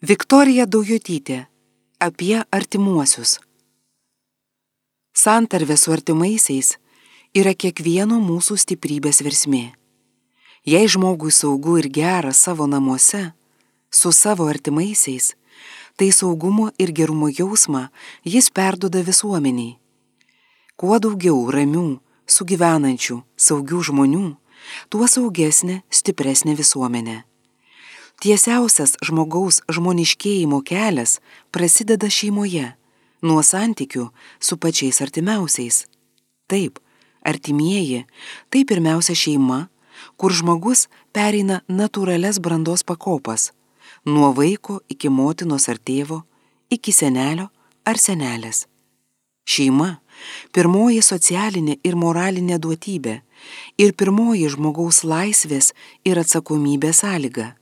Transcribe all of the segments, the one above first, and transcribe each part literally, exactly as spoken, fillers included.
Viktorija Daujotytė apie artimuosius. Santarvė su artimaisiais yra kiekvieno mūsų stiprybės versmė. Jei žmogui saugu ir gera savo namuose, su savo artimaisiais, tai saugumo ir gerumo jausmą jis perduoda visuomeniai. Kuo daugiau ramių, sugyvenančių, saugių žmonių, tuo saugesnė, stipresnė visuomenė. Tiesiausias žmogaus žmoniškėjimo kelias prasideda šeimoje, nuo santykių su pačiais artimiausiais. Taip, artimieji - tai pirmiausia šeima, kur žmogus pereina natūralias brandos pakopas, nuo vaiko iki motinos ar tėvo, iki senelio ar senelės. Šeima - pirmoji socialinė ir moralinė duotybė ir pirmoji žmogaus laisvės ir atsakomybės sąlyga.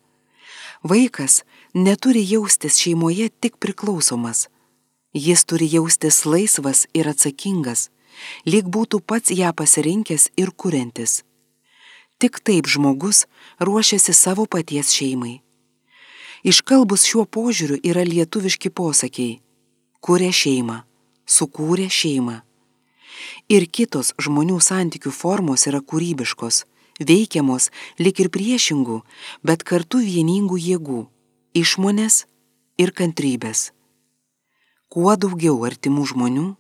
Vaikas neturi jaustis šeimoje tik priklausomas. Jis turi jaustis laisvas ir atsakingas, lyg būtų pats ją pasirinkęs ir kuriantis. Tik taip žmogus ruošiasi savo paties šeimai. Iškalbus šiuo požiūriu yra lietuviški posakiai: kuria šeimą, sukūrė šeimą. Ir kitos žmonių santykių formos yra kūrybiškos, veikiamos lyg ir priešingų, bet kartu vieningų jėgų - išmonės ir kantrybės. Kuo daugiau artimų žmonių,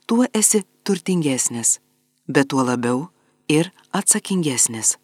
tuo esi turtingesnis, bet tuo labiau ir atsakingesnis.